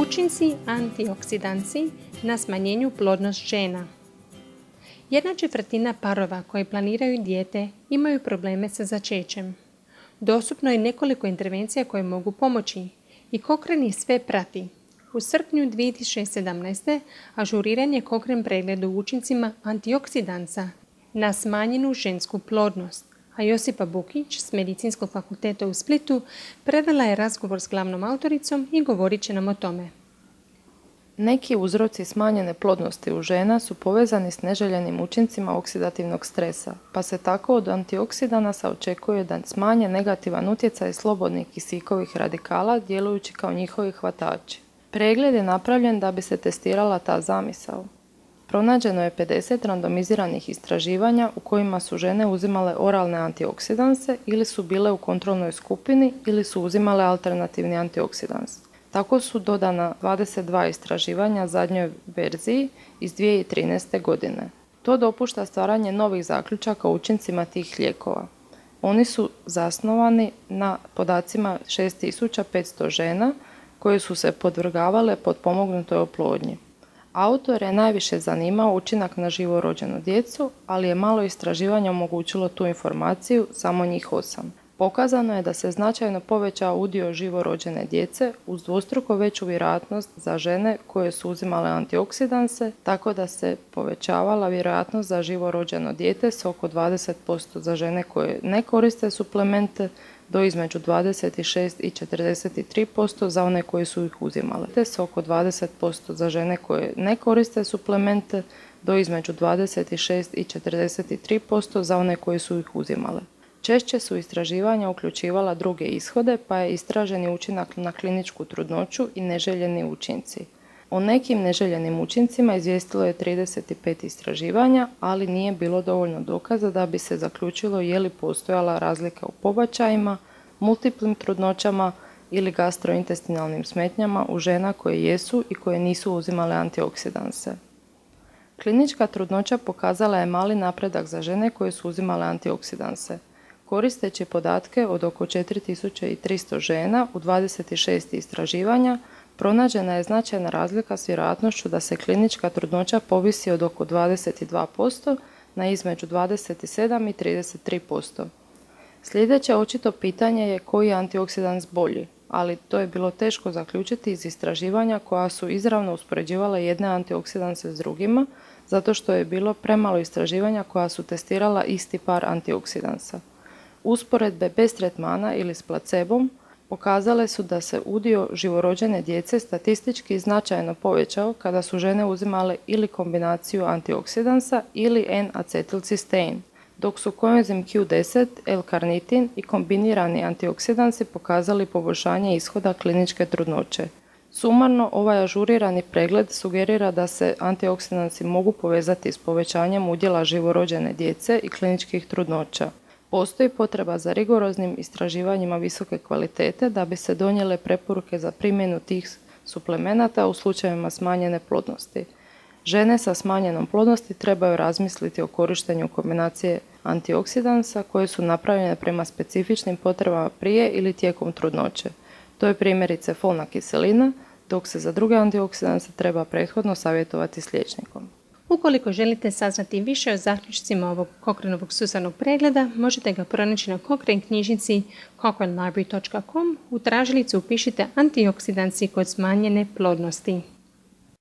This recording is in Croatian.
Učinci antioksidanci na smanjenju plodnost žena. 1/4 parova koji planiraju dijete imaju probleme sa začećem. Dostupno je nekoliko intervencija koje mogu pomoći i Cochrane ih sve prati. U srpnju 2017. ažuriran je Cochrane pregled o učincima antioksidanca na smanjenu žensku plodnost, a Josipa Bukić s Medicinskog fakulteta u Splitu predala je razgovor s glavnom autoricom i govorit će nam o tome. Neki uzroci smanjene plodnosti u žena su povezani s neželjenim učincima oksidativnog stresa, pa se tako od antioksidanasa očekuje da smanje negativan utjecaj slobodnih kisikovih radikala djelujući kao njihovi hvatači. Pregled je napravljen da bi se testirala ta zamisao. Pronađeno je 50 randomiziranih istraživanja u kojima su žene uzimale oralne antioksidanse ili su bile u kontrolnoj skupini ili su uzimale alternativni antioksidans. Tako su dodana 22 istraživanja zadnjoj verziji iz 2013. godine. To dopušta stvaranje novih zaključaka o učincima tih lijekova. Oni su zasnovani na podacima 6500 žena koje su se podvrgavale potpomognutoj oplodnji. Autore je najviše zanimao učinak na živorođenu djecu, ali je malo istraživanja omogućilo tu informaciju, samo njih 8. Pokazano je da se značajno povećao udio živorođene djece uz dvostruko veću vjerojatnost za žene koje su uzimale antioksidanse, tako da se povećavala vjerojatnost za živorođeno dijete s oko 20% za žene koje ne koriste suplemente, do između 26 i 43% za one koje su ih uzimale, te s oko 20% za žene koje ne koriste suplemente, do između 26 i 43% za one koje su ih uzimale. Češće su istraživanja uključivala druge ishode, pa je istraženi učinak na kliničku trudnoću i neželjeni učinci. O nekim neželjenim učincima izvijestilo je 35 istraživanja, ali nije bilo dovoljno dokaza da bi se zaključilo je li postojala razlika u pobačajima, multiplim trudnoćama ili gastrointestinalnim smetnjama u žena koje jesu i koje nisu uzimale antioksidanse. Klinička trudnoća pokazala je mali napredak za žene koje su uzimale antioksidanse. Koristeći podatke od oko 4300 žena u 26 istraživanja, pronađena je značajna razlika s vjerojatnošću da se klinička trudnoća povisi od oko 22% na između 27 i 33%. Sljedeće očito pitanje je koji je antioksidans bolji, ali to je bilo teško zaključiti iz istraživanja koja su izravno uspoređivala jedne antioksidanse s drugima, zato što je bilo premalo istraživanja koja su testirala isti par antioksidansa. Usporedbe bez tretmana ili s placebom pokazale su da se udio živorođene djece statistički značajno povećao kada su žene uzimale ili kombinaciju antioksidansa ili N-acetilcistein, dok su koenzim Q10, L-karnitin i kombinirani antioksidansi pokazali poboljšanje ishoda kliničke trudnoće. Sumarno, ovaj ažurirani pregled sugerira da se antioksidansi mogu povezati s povećanjem udjela živorođene djece i kliničkih trudnoća. Postoji potreba za rigoroznim istraživanjima visoke kvalitete da bi se donijele preporuke za primjenu tih suplemenata u slučajevima smanjene plodnosti. Žene sa smanjenom plodnosti trebaju razmisliti o korištenju kombinacije antioksidansa koje su napravljene prema specifičnim potrebama prije ili tijekom trudnoće. To je primjerice folna kiselina, dok se za druge antioksidanse treba prethodno savjetovati s liječnikom. Ukoliko želite saznati više o zaključcima ovog Cochraneovog sustavnog pregleda, možete ga pronaći na Cochrane knjižnici cochranelibrary.com. U tražilicu upišite antioksidansi kod smanjene plodnosti.